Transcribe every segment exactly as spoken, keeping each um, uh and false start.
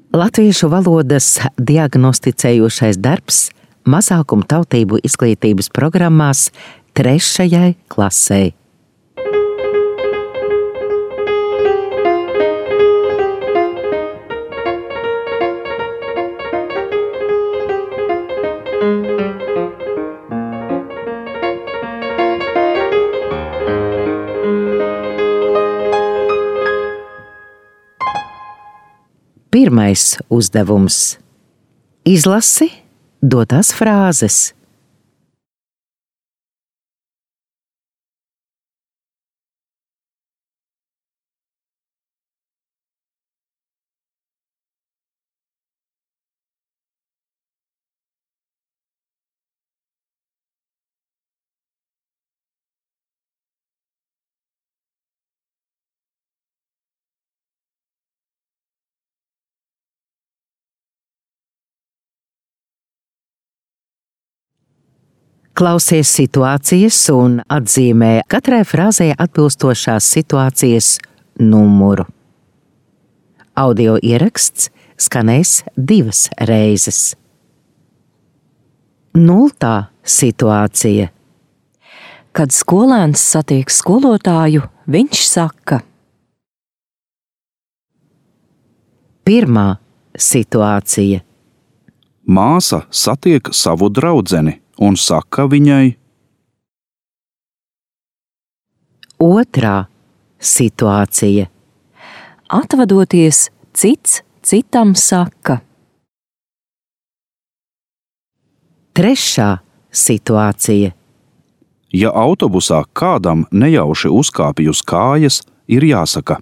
Latviešu valodas diagnosticējošais darbs mazākumtautību izglītības programmās trešajai klasei. Pirmais uzdevums. Izlasi dotās frāzes. Klausies situācijas un atzīmē katrai frāzē atbilstošās situācijas numuru. Audio ieraksts skanēs divas reizes. Nultā situācija. Kad skolēns satiek skolotāju, viņš saka: Pirmā situācija. Māsa satiek savu draudzeni un saka viņai: Otrā situācija. Atvadoties, cits citam saka: Trešā situācija. Ja autobusā kādam nejauši uzkāpj uz kājas, ir jāsaka: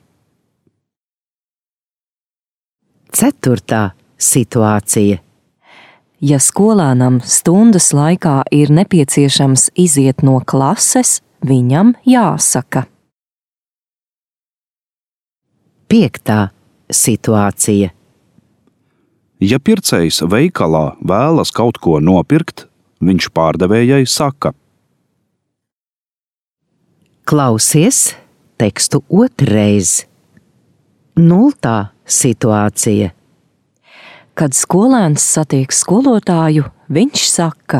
Ceturtā situācija. Ja skolēnam stundas laikā ir nepieciešams iziet no klases, viņam jāsaka: Piektā situācija. Ja pircējs veikalā vēlas kaut ko nopirkt, viņš pārdevējai saka: Klausies tekstu otrreiz. Nultā situācija. Kad skolēns satiek skolotāju, viņš saka: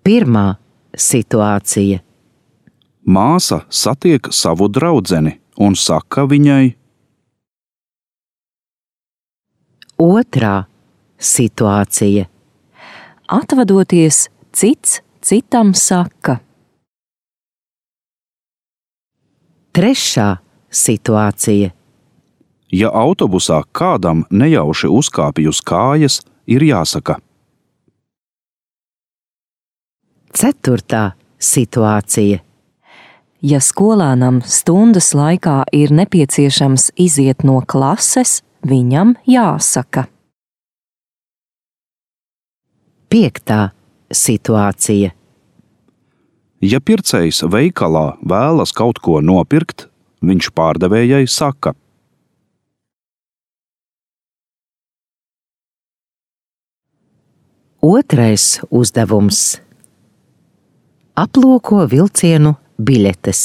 Pirmā situācija. Māsa satiek savu draudzeni un saka viņai: Otrā situācija. Atvadoties, cits citam saka: Trešā situācija. Ja autobusā kādam nejauši uzkāpj uz kājas, ir jāsaka: Ceturtā situācija. Ja skolēnam stundas laikā ir nepieciešams iziet no klases, viņam jāsaka: Piektā situācija. Ja pircējs veikalā vēlas kaut ko nopirkt, viņš pārdevējai saka: Otrais uzdevums. Aplūko vilcienu biļetes.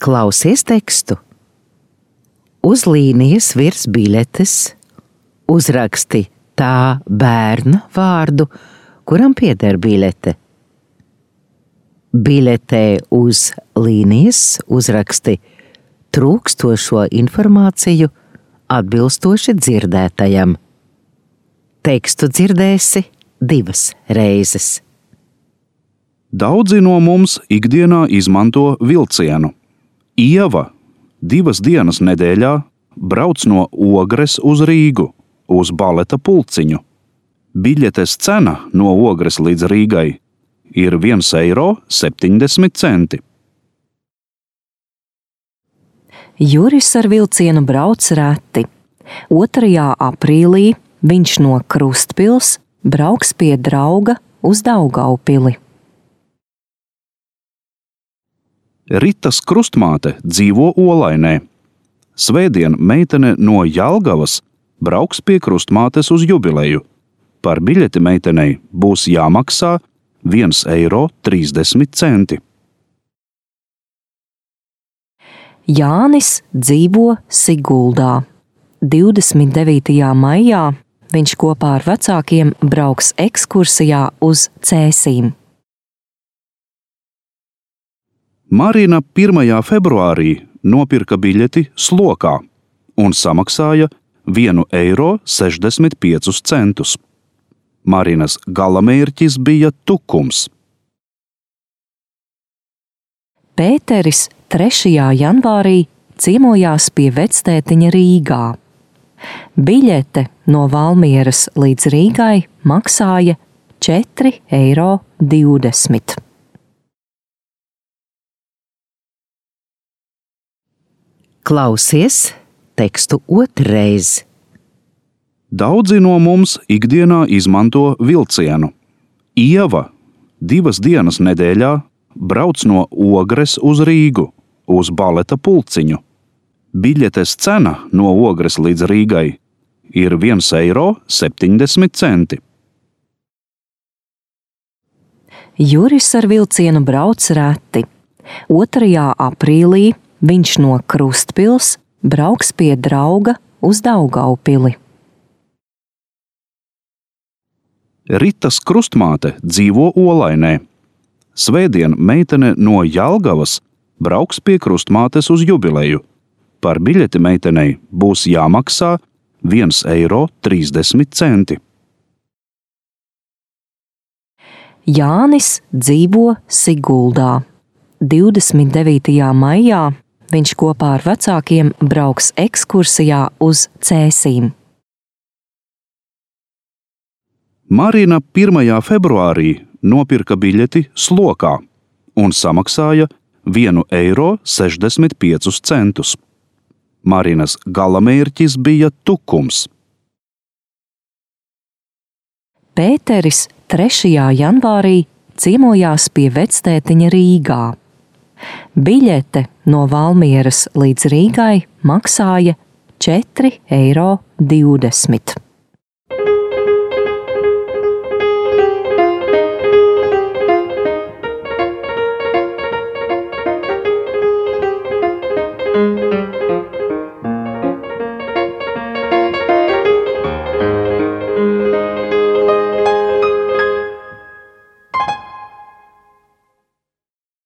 Klausies tekstu. Uz līnijas virs biļetes uzraksti tā bērna vārdu, kuram pieder biļete. Biļetē uz līnijas uzraksti trūkstošo informāciju atbilstoši dzirdētajam. Tekstu dzirdēsi divas reizes. Daudzi no mums ikdienā izmanto vilcienu. Ieva divas dienas nedēļā brauc no Ogres uz Rīgu, uz baleta pulciņu. Biļetes cena no Ogres līdz Rīgai ir viens eiro septiņdesmit centi. Juris ar vilcienu brauc reti. otrajā aprīlī viņš no Krustpils brauks pie drauga uz Daugaupili. Ritas krustmāte dzīvo Olainē. Svētdien meitene no Jelgavas brauks pie krustmātes uz jubileju. Par biļeti meitenei būs jāmaksā viens eiro trīsdesmit centi. Jānis dzīvo Siguldā. divdesmit devītajā maijā viņš kopā ar vecākiem brauks ekskursijā uz Cēsīm. Marina pirmajā februārī nopirka biļeti Slokā un samaksāja vienu eiro sešdesmit piecus centus. Marinas galamērķis bija Tukums. Pēteris trešajā janvārī ciemojās pie vectētiņa Rīgā. Biļete no Valmieras līdz Rīgai maksāja četri eiro divdesmit. Klausies tekstu otrreiz. Daudzi no mums ikdienā izmanto vilcienu. Ieva divas dienas nedēļā brauc no Ogres uz Rīgu, uz baleta pulciņu. Biļetes cena no Ogres līdz Rīgai ir viens eiro septiņdesmit centi. Juris ar vilcienu brauc reti. otrajā aprīlī viņš no Krustpils brauks pie drauga uz Daugaupili. Ritas krustmāte dzīvo Olainē. Svētdien meitene no Jelgavas brauks pie krustmātes uz jubileju. Par biļeti meitenei būs jāmaksā viens eiro trīsdesmit centi. Jānis dzīvo Siguldā. divdesmit devītajā maijā viņš kopā ar vecākiem brauks ekskursijā uz Cēsīm. Marina pirmajā februārī nopirka biļeti Slokā un samaksāja vienu eiro sešdesmit piecus centus. Marinas galamērķis bija Tukums. Pēteris trešajā janvārī ciemojās pie vectētiņa Rīgā. Biļete no Valmieras līdz Rīgai maksāja četri eiro divdesmit.